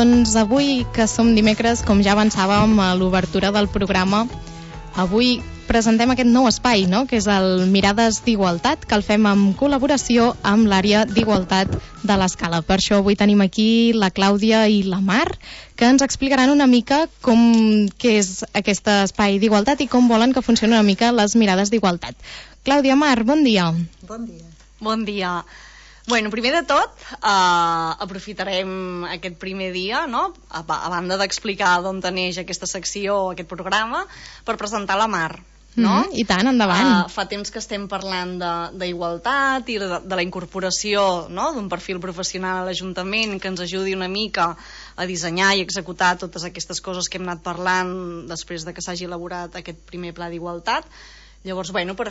Doncs avui, que som dimecres, com ja avançàvem a l'obertura del programa, avui presentem aquest nou espai, no?, que és el Mirades d'Igualtat, que el fem en col·laboració amb l'àrea d'Igualtat de l'Escala. Per això avui tenim aquí la Clàudia i la Mar, que ens explicaran una mica què és aquest espai d'igualtat i com volen que funcionin una mica les mirades d'igualtat. Clàudia, Mar, bon dia. Bon dia. Bon dia. Bueno, primer de tot, aprofitarem aquest primer dia, no?, a banda d'explicar d'on neix aquesta secció, aquest programa, per presentar la Mar, no? I tant, endavant. Fa temps que estem parlant d'igualtat i de la incorporació, no?, d'un perfil professional a l'Ajuntament que ens ajudi una mica a dissenyar i executar totes aquestes coses que hem anat parlant després de que s'hagi elaborat aquest primer pla d'igualtat. Llavors, bueno, per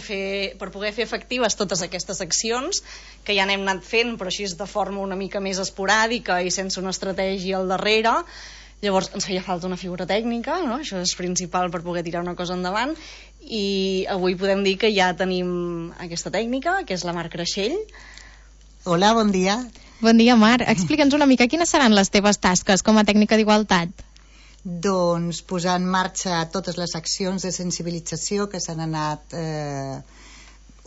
poder fer efectives totes aquestes accions, que ja n'hem anat fent, però així de forma una mica més esporàdica i sense una estratègia al darrere, llavors ens feia falta una figura tècnica, no? Això és principal per poder tirar una cosa endavant, i avui podem dir que ja tenim aquesta tècnica, que és la Mar Creixell. Hola, bon dia. Bon dia, Mar. Explica'ns una mica quines seran les teves tasques com a tècnica d'igualtat. Doncs posar en marxa totes les accions de sensibilització que s'han anat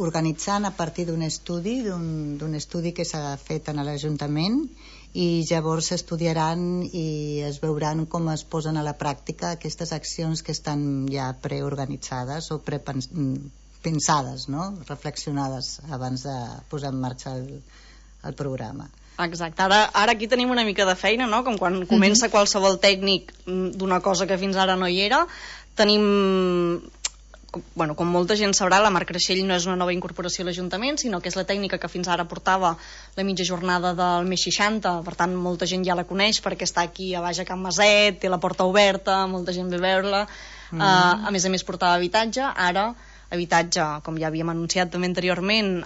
organitzant a partir d'un estudi que s'ha fet en l'Ajuntament, i llavors s'estudiaran i es veuran com es posen a la pràctica aquestes accions que estan ja preorganitzades o pensades, no?, reflexionades abans de posar en marxa el programa. Exacte, ara aquí tenim una mica de feina, no?, com quan comença qualsevol tècnic d'una cosa que fins ara no hi era. Tenim, bueno, com molta gent sabrà, la Mar Creixell no és una nova incorporació a l'Ajuntament, sinó que és la tècnica que fins ara portava la mitja jornada del mes 60, per tant molta gent ja la coneix perquè està aquí a baix a Can Maset, té la porta oberta, molta gent ve a veure-la. A més portava habitatge. Ara habitatge, com ja havíem anunciat també anteriorment,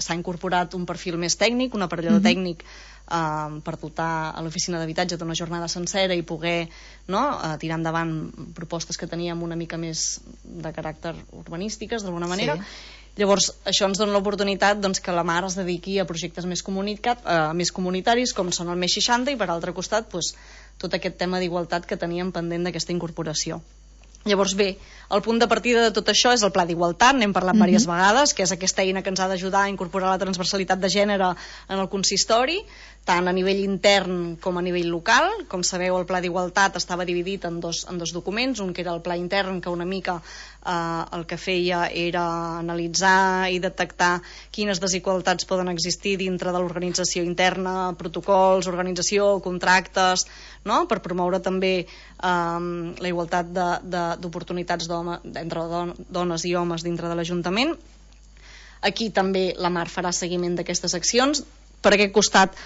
s'ha incorporat un perfil més tècnic, un aparellador tècnic per dotar a l'oficina d'habitatge d'una jornada sencera i poder, no?, tirar endavant propostes que teníem una mica més de caràcter urbanístiques, d'alguna manera. Sí. Llavors, això ens dona l'oportunitat, doncs, que la Mar es dediqui a projectes més comunitaris, com són el Més 60, i per altre costat, doncs, tot aquest tema d'igualtat que teníem pendent d'aquesta incorporació. Llavors, bé, el punt de partida de tot això és el Pla d'Igualtat, n'hem parlat diverses vegades, que és aquesta eina que ens ha d'ajudar a incorporar la transversalitat de gènere en el consistori, tant a nivell intern com a nivell local. Com sabeu, el Pla d'Igualtat estava dividit en dos documents, un que era el Pla intern, que una mica el que feia era analitzar i detectar quines desigualtats poden existir dintre de l'organització interna, protocols, organització, contractes, no?, per promoure també la igualtat d'oportunitats entre dones i homes dintre de l'Ajuntament. Aquí també la Mar farà seguiment d'aquestes accions. Per aquest costat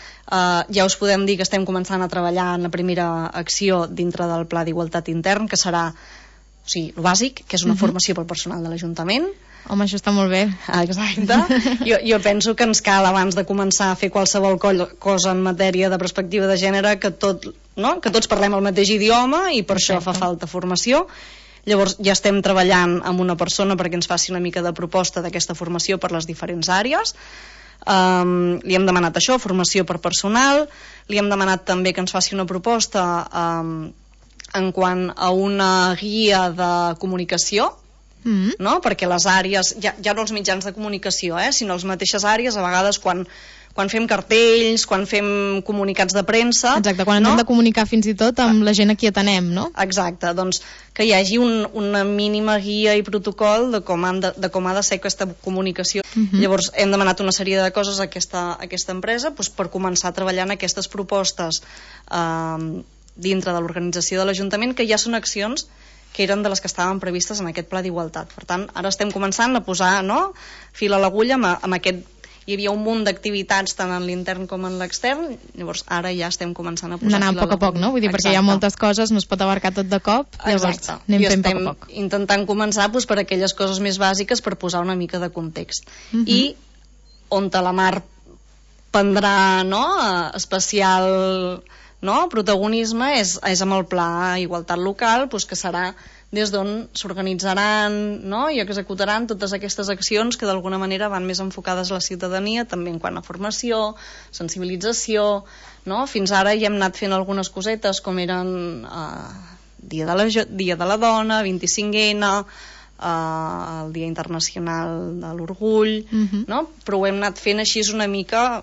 ja us podem dir que estem començant a treballar en la primera acció dintre del Pla d'Igualtat intern, que serà, o sigui, el bàsic, que és una formació pel personal de l'Ajuntament. Home, això està molt bé. Exacte. Jo penso que ens cal, abans de començar a fer qualsevol cosa en matèria de perspectiva de gènere, que tots parlem el mateix idioma, i per això fa falta formació. Llavors ja estem treballant amb una persona perquè ens faci una mica de proposta d'aquesta formació per les diferents àrees. Li hem demanat això, formació per personal. Li hem demanat també que ens faci una proposta en quant a una guia de comunicació, no? Perquè les àrees, ja no els mitjans de comunicació, sinó les mateixes àrees, a vegades quan fem cartells, quan fem comunicats de premsa... Exacte, quan ens hem de comunicar fins i tot amb la gent a qui atenem, no? Exacte, doncs que hi hagi una mínima guia i protocol de com ha de ser aquesta comunicació. Llavors hem demanat una sèrie de coses a aquesta empresa per començar a treballar en aquestes propostes dintre de l'organització de l'Ajuntament, que ja són accions que eren de les que estaven previstes en aquest Pla d'Igualtat. Per tant, ara estem començant a posar, no?, fil a l'agulla amb aquest... Hi havia un munt d'activitats tant en l'intern com en l'extern, llavors ara ja estem començant a posar fil a l'agulla. Anar a poc a poc, no? Vull dir, perquè hi ha moltes coses, no es pot abarcar tot de cop, llavors anem fent poc a poc. I estem intentant començar per aquelles coses més bàsiques per posar una mica de context. I on la Mar prendrà, no?, especial... protagonisme és amb el Pla Igualtat Local, que serà des d'on s'organitzaran, i executaran totes aquestes accions que d'alguna manera van més enfocades a la ciutadania, també en quant a formació, sensibilització, no? Fins ara ja hem anat fent algunes cosetes com eren Dia de la Dona, 25N, el Dia Internacional de l'Orgull, no? Però ho hem anat fent així una mica,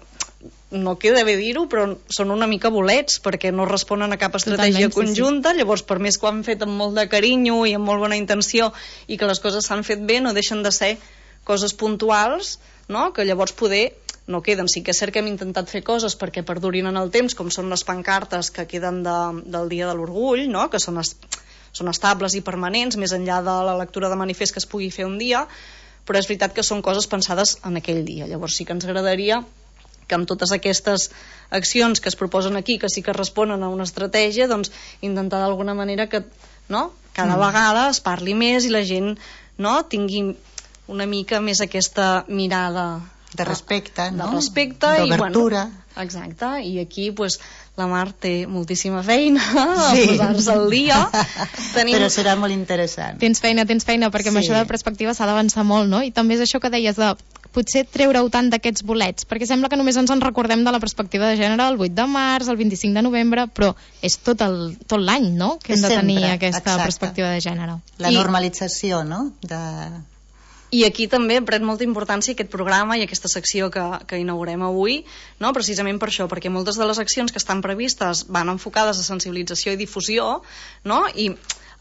no queda bé dir-ho, però són una mica bolets, perquè no responen a cap estratègia conjunta, llavors per més que ho han fet amb molt de carinyo i amb molt bona intenció i que les coses s'han fet bé, no deixen de ser coses puntuals, no? Que llavors poder no queden. Sí que és cert que hem intentat fer coses perquè perdurin en el temps, com són les pancartes que queden del Dia de l'Orgull, no? Que són estables i permanents, més enllà de la lectura de manifest que es pugui fer un dia, però és veritat que són coses pensades en aquell dia. Llavors sí que ens agradaria que amb totes aquestes accions que es proposen aquí, que sí que responen a una estratègia, doncs intentar d'alguna manera que, no? Cada vegada es parli més i la gent, no? Tingui una mica més aquesta mirada de respecte, no? De respecte d'obertura. I, bueno, exacte, i aquí pues, la Mar té moltíssima feina a posar-se al dia. Però serà molt interessant. Tens feina, perquè amb això de perspectiva s'ha d'avançar molt, no? I també és això que deies de potser treure-ho tant d'aquests bolets, perquè sembla que només ens en recordem de la perspectiva de gènere el 8 de març, el 25 de novembre, però és tot l'any, no?, que hem de tenir aquesta perspectiva de gènere. La normalització, no?, I aquí també pren molta importància aquest programa i aquesta secció que inaugurem avui, no? Precisament per això, perquè moltes de les accions que estan previstes van enfocades a sensibilització i difusió, no? I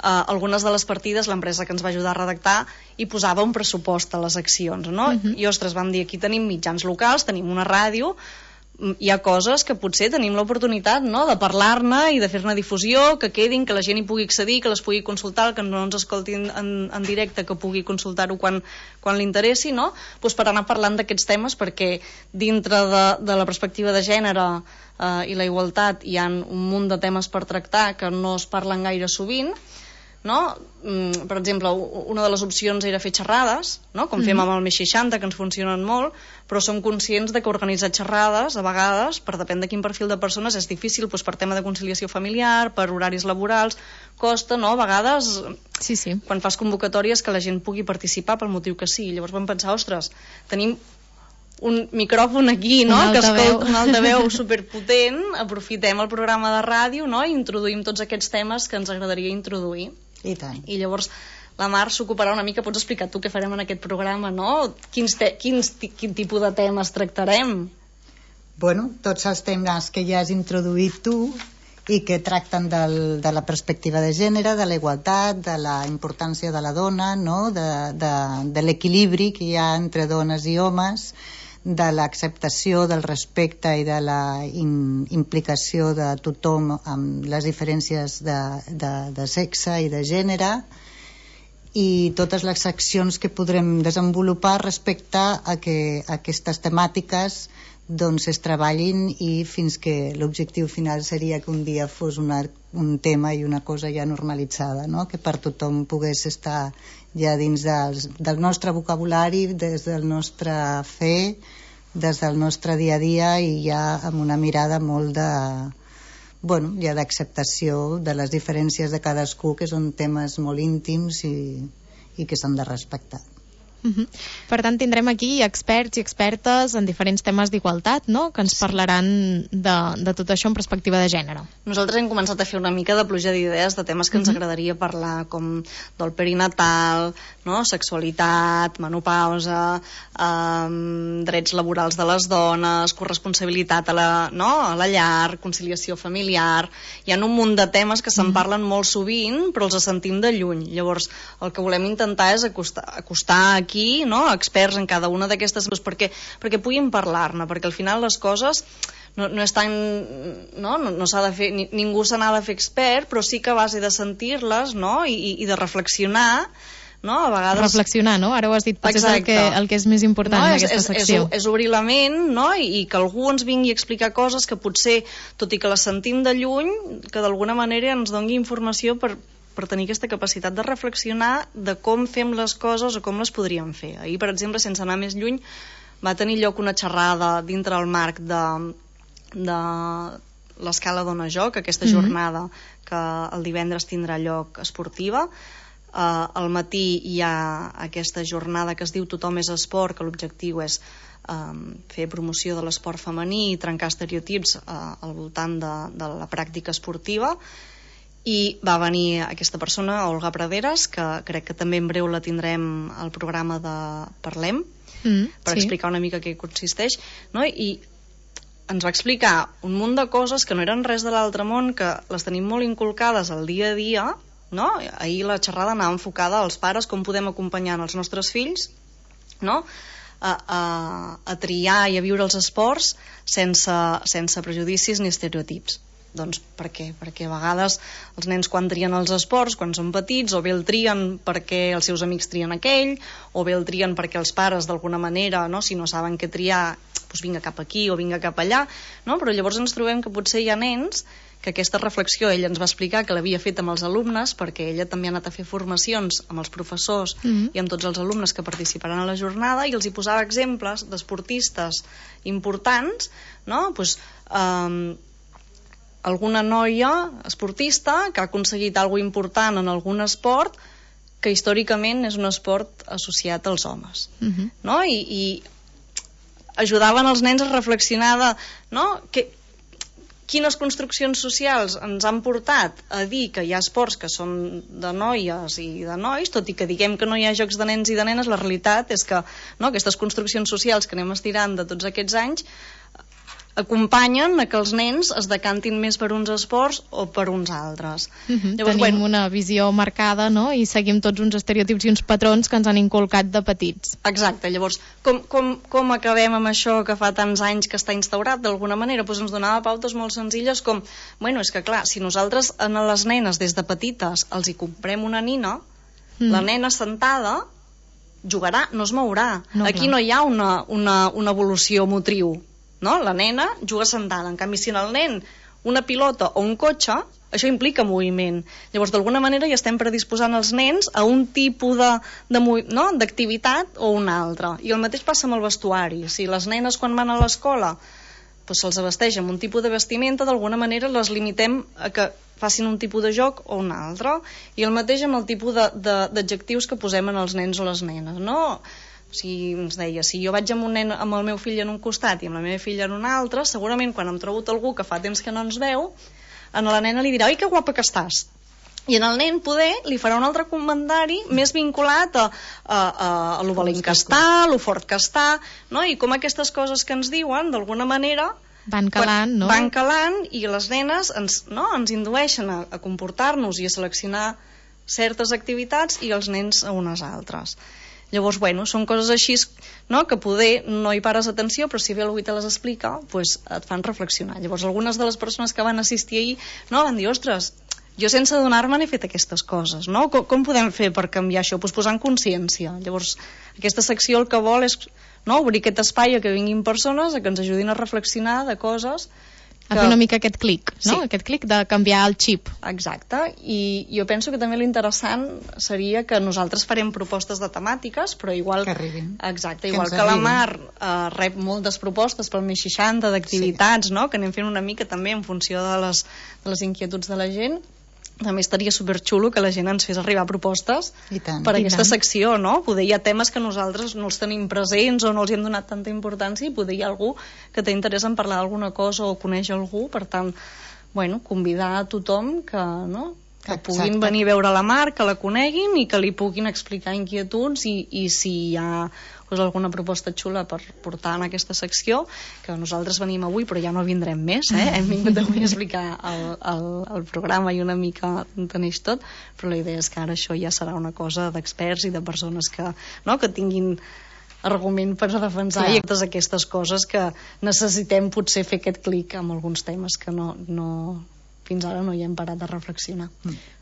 algunes de les partides l'empresa que ens va ajudar a redactar hi posava un pressupost a les accions, no? I ostres, vam dir, aquí tenim mitjans locals, tenim una ràdio, hi ha coses que potser tenim l'oportunitat, no?, de parlar-ne i de fer-ne difusió, que quedin, que la gent hi pugui accedir, que les pugui consultar, que no ens escoltin en directe, que pugui consultar-ho quan li interessi, no?, doncs per anar parlant d'aquests temes, perquè dintre de la perspectiva de gènere i la igualtat hi ha un munt de temes per tractar que no es parlen gaire sovint, no? Per exemple, una de les opcions era fer xerrades, no? Com fem amb el Més 60, que ens funcionen molt, però som conscients de que organitzar xerrades, a vegades, per depèn de quin perfil de persones, és difícil, doncs, per tema de conciliació familiar, per horaris laborals, costa, no? A vegades, quan fas convocatòries, que la gent pugui participar pel motiu que sí. Llavors vam pensar, ostres, tenim un micròfon aquí, no?, que escolta un altaveu superpotent, aprofitem el programa de ràdio, no?, i introduïm tots aquests temes que ens agradaria introduir. I tant. I llavors la Mar s'ocuparà una mica, pots explicar tu què farem en aquest programa, no? Quin tipus de temes tractarem? Bueno, tots els temes que ja has introduït tu i que tracten de la perspectiva de gènere, de la igualtat, de la importància de la dona, no?, de l'equilibri que hi ha entre dones i homes, de l'acceptació, del respecte i de la implicació de tothom amb les diferències de sexe i de gènere, i totes les accions que podrem desenvolupar respecte a que aquestes temàtiques doncs es treballin, i fins que l'objectiu final seria que un dia fos un tema i una cosa ja normalitzada, no?, que per tothom pogués estar ja dins del nostre vocabulari, des del nostre fer, des del nostre dia a dia, i ja amb una mirada molt ja d'acceptació de les diferències de cadascú, que són temes molt íntims i que s'han de respectar. Per tant, tindrem aquí experts i expertes en diferents temes d'igualtat, no?, que ens parlaran de tot això en perspectiva de gènere. Nosaltres hem començat a fer una mica de pluja d'idees de temes que ens agradaria parlar, com del perinatal, no?, sexualitat, menopausa, drets laborals de les dones, corresponsabilitat a la llar, conciliació familiar. Hi ha un munt de temes que se'n parlen molt sovint, però els sentim de lluny. Llavors, el que volem intentar és acostar aquí, no?, experts en cada una d'aquestes coses, perquè puguin parlar-ne, perquè al final les coses no és tan, no s'ha de fer, ningú se n'ha de fer expert, però sí que a base de sentir-les, no?, i de reflexionar, no?, a vegades... Reflexionar, no? Ara ho has dit, potser és el que és més important en aquesta secció. És obrir la ment, no?, i que algú ens vingui a explicar coses que potser, tot i que les sentim de lluny, que d'alguna manera ens doni informació per tenir aquesta capacitat de reflexionar de com fem les coses o com les podríem fer. Ahir, per exemple, sense anar més lluny, va tenir lloc una xerrada dintre el marc de l'escala Dona Joc, aquesta jornada que el divendres tindrà lloc esportiva, al matí hi ha aquesta jornada que es diu Tothom és esport, que l'objectiu és fer promoció de l'esport femení i trencar estereotips al voltant de la pràctica esportiva, i va venir aquesta persona, Olga Praderas, que crec que també en breu la tindrem al programa de Parlem, per explicar una mica què consisteix, no? I ens va explicar un munt de coses que no eren res de l'altre món, que les tenim molt inculcades al dia a dia, no? Ahir la xerrada anava enfocada als pares, com podem acompanyar els nostres fills, no? A triar i a viure els esports sense prejudicis ni estereotips. Doncs per què? Perquè a vegades els nens quan trien els esports, quan són petits, o bé el trien perquè els seus amics trien aquell, o bé el trien perquè els pares d'alguna manera, no? Si no saben què triar, doncs vinga cap aquí o vinga cap allà, no? Però llavors ens trobem que potser hi ha nens que aquesta reflexió ella ens va explicar que l'havia fet amb els alumnes, perquè ella també ha anat a fer formacions amb els professors i amb tots els alumnes que participaran a la jornada, i els hi posava exemples d'esportistes importants, no? Pues, alguna noia esportista que ha aconseguit alguna important en algun esport que històricament és un esport associat als homes, no? I ajudaven els nens a reflexionar no? Quines construccions socials ens han portat a dir que hi ha esports que són de noies i de nois, tot i que diguem que no hi ha jocs de nens i de nenes, la realitat és que no, aquestes construccions socials que anem estirant de tots aquests anys acompanyen a que els nens es decantin més per uns esports o per uns altres. Llavors, tenim una visió marcada, no? I seguim tots uns estereotips i uns patrons que ens han inculcat de petits. Exacte, llavors com acabem amb això que fa tants anys que està instaurat d'alguna manera? Doncs ens donava pautes molt senzilles com, bueno, és que clar, si nosaltres a les nenes des de petites els hi comprem una nina, la nena sentada jugarà, no es mourà. Aquí no hi ha una evolució motriu. No? La nena juga sentada, en canvi si en el nen una pilota o un cotxe, això implica moviment. Llavors d'alguna manera ja estem predisposant els nens a un tipus d'activitat o un altre. I el mateix passa amb el vestuari. Si les nenes quan van a l'escola doncs se'ls vesteix amb un tipus de vestimenta, d'alguna manera les limitem a que facin un tipus de joc o un altre. I el mateix amb el tipus d'adjectius que posem en els nens o les nenes, no? Si ens deia, si jo vaig amb un nen amb el meu fill en un costat i amb la meva filla en un altre, segurament quan em trobo algú que fa temps que no ens veu, a la nena li dirà, oi que guapa que estàs, i en el nen poder li farà un altre comentari més vinculat a lo valent que està, a lo fort que està, no? I com aquestes coses que ens diuen d'alguna manera van calant, no? Van calant, i les nenes ens indueixen a comportar-nos i a seleccionar certes activitats i els nens a unes altres. Llavors, bueno, són coses així, no?, que poder no hi pares atenció, però si ve algú i te les explica, pues et fan reflexionar. Llavors, algunes de les persones que van assistir ahir, no, van dir, ostres, jo sense adonar-me n'he fet aquestes coses, no? Com podem fer per canviar això? Pues posant consciència. Llavors, aquesta secció el que vol és, no, obrir aquest espai a que vinguin persones a que ens ajudin a reflexionar de coses a fer una mica aquest clic, no? Sí. Aquest clic de canviar el xip. Exacte, i jo penso que també l'interessant seria que nosaltres farem propostes de temàtiques, però igual que arribin. Exacte, igual que la Mar rep moltes propostes pel més 60 d'activitats, no? Que anem fent una mica també en funció de les inquietuds de la gent. També estaria superxulo que la gent ens fes arribar propostes per aquesta secció, no? Poder hi ha temes que nosaltres no els tenim presents o no els hi hem donat tanta importància, i poder hi ha algú que té interès en parlar d'alguna cosa o coneix algú, per tant, bueno, convidar a tothom que, no?, que puguin venir a veure la Mar, que la coneguin i que li puguin explicar inquietuds i si hi ha alguna proposta xula per portar en aquesta secció, que nosaltres venim avui però ja no vindrem més, hem vingut avui a explicar el programa i una mica enteneix tot, però la idea és que ara això ja serà una cosa d'experts i de persones que tinguin argument per defensar i totes aquestes coses que necessitem potser fer aquest clic amb alguns temes que fins ara no hi hem parat de reflexionar.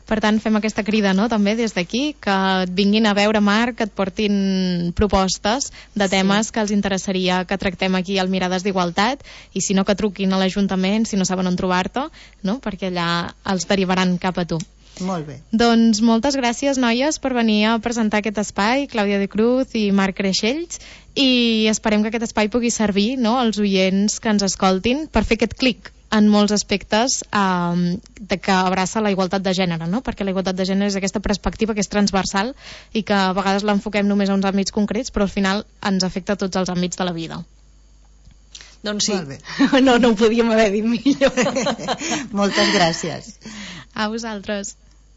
Per tant, fem aquesta crida, no?, també des d'aquí, que et vinguin a veure, Marc, que et portin propostes de temes que els interessaria que tractem aquí al Mirades d'Igualtat, i si no, que truquin a l'Ajuntament si no saben on trobar-te, no?, perquè allà els derivaran cap a tu. Molt bé. Doncs moltes gràcies, noies, per venir a presentar aquest espai, Clàudia de Cruz i Marc Creixells, i esperem que aquest espai pugui servir, no?, als oients que ens escoltin per fer aquest clic en molts aspectes de que abraça la igualtat de gènere, no? Perquè la igualtat de gènere és aquesta perspectiva que és transversal i que a vegades l'enfoquem només a uns àmbits concrets, però al final ens afecta a tots els àmbits de la vida. Doncs sí, no ho podíem haver dit millor. Moltes gràcies. A vosaltres.